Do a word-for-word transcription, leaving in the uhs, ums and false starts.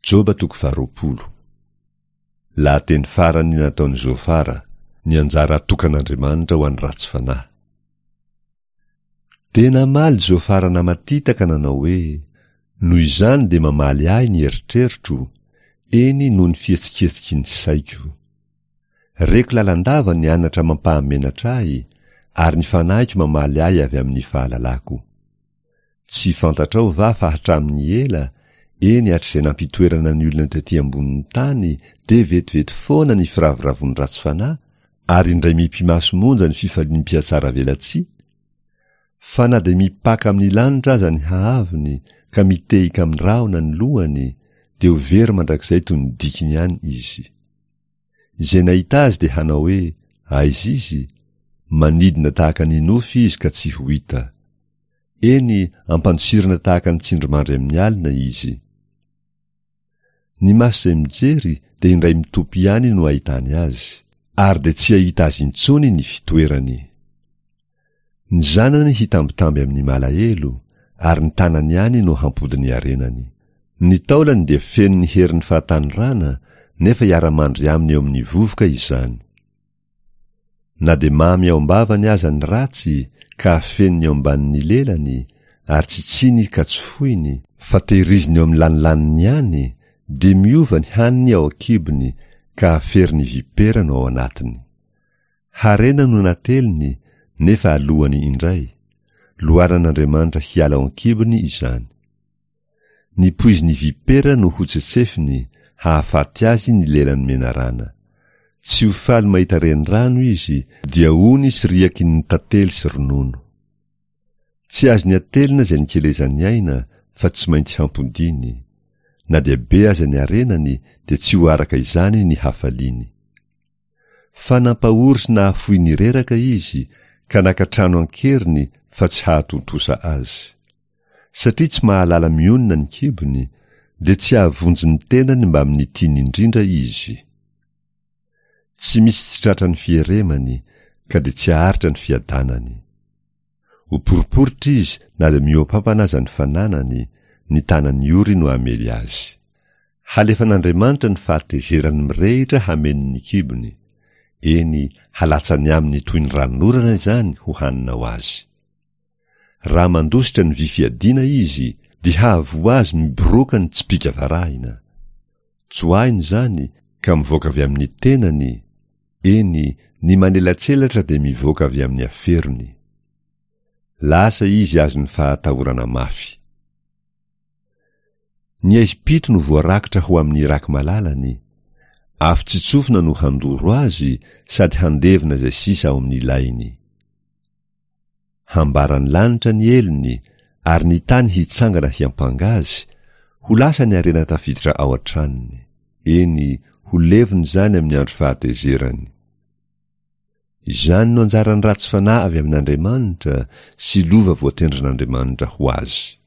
Joba toko faharoapolo. Lahateny farany nataon'i Zofara, ny anjara atokan'Andriamanitra ho an'ny ratsy fanahy. Dia namaly Zofara namatita ka nanao hoe, Noho izany dia mamaly ahy ny eritreritro, eny noho ny fihetsiketsiky ny saiko. Reko lalandava ny anatra mampahamenatra ahy, ary ny fanahiko mamaly ahy avy amin'ny fahalalako. Tsy fantatrao va fa hatramin'ny ela, eny hatrizay nampitoerana ny olona tety ambonin'ny tany, dia vetivety foana ny firavoravoan'ny ratsy fanahy, ary indray mipi-maso monja ny fifalian'ny mpihatsaravelatsihy? Fa na dia mipaka amin'ny lanitra aza ny haavony, ka mitehika amin'ny rahona ny lohany, dia ho very mandrakizay toy ny dikiny ihany izy. Izay nahita azy dia hanao hoe, Aiza izy? Manidina tahaka ny nofy izy ka tsy ho hita. Eny, ampandosirina tahaka ny tsindrimandry amin'ny alina izy. Ny maso izay mijery dia indray mitopy ihany no ahitany azy, ary dia tsy hahita azy intsony ny fitoerany. Ny zanany hitambitamby amin'ny malahelo, ary ny tanany ihany no hampody ny harenany. Ny taolany dia feno ny herin'ny fahatanorana, nefa hiara-mandry aminy eo amin'ny vovoka izany. Na dia mamy ao am-bavany aza ny ratsy, ka afeniny eo ambanin'ny lelany, ary tsitsiny ka tsy foiny, fa tehiriziny eo amin'ny lanilaniny ihany, dia miova ny haniny ao an-kibony, ka aferin'ny vipera no ao anatiny. Harena no nateliny, nefa alohany indray. Loharan'Andriamanitra hiala ao an-kibony izany. Ny poizin'ny vipera no hotsetsefiny, hahafaty azy ny lelan'ny menarana. Tsy ho faly mahita renirano izy, dia ony sy riaky ny tantely sy ronono. Tsy azony atelina izay nikelezany aina, fa tsy maintsy hampodiany. Na dia be aza ny harenany, dia tsy ho araka izany ny hafaliany. Fa nampahory sy nahafoy ny reraka izy, ka naka trano an-keriny fa tsy hahatontosa azy. Satria tsy mahalala mionona ny kibony, dia tsy hahavonjy ny tenany mbamin'ny tiany indrindra izy. Tsy misy tsy tratran'ny fieremany, ka dia tsy haharitra ny fiadanany. Ho poriporitra izy na dia mihoa-pampana aza ny fananany, ny tanan'ny ory no hamely azy. Halefan'Andriamanitra ny fahatezerany mirehitra hameno ny kibony, eny, halatsany aminy toy ny ranonorana izany ho hanina ho azy. Raha mandositra ny vy fiadiana izy, dia hahavoa azy miboroaka ny tsipìka varahina. Tsoahiny izany, ka mivoaka avy amin'ny tenany, eny, ny manelatselatra dia mivoaka avy amin'ny aferony. Lasa izy azon'ny fahatahorana mafy. Ny aizim-pito no voarakitra ho amin'ny raki-malalany, afo tsy tsofina no handoro azy sady handevona izay sisa ao amin'ny lainy. Hambaran'ny lanitra ny helony, ary ny tany hitsangana hiampanga azy, ho lasa ny harena tafiditra ao an-tranony. Eny, ho levona izany amin'ny andro fahatezerany. Izany no anjaran'ny ratsy fanahy avy amin'Andriamanitra sy lova voatendrin'Andriamanitra ho azy.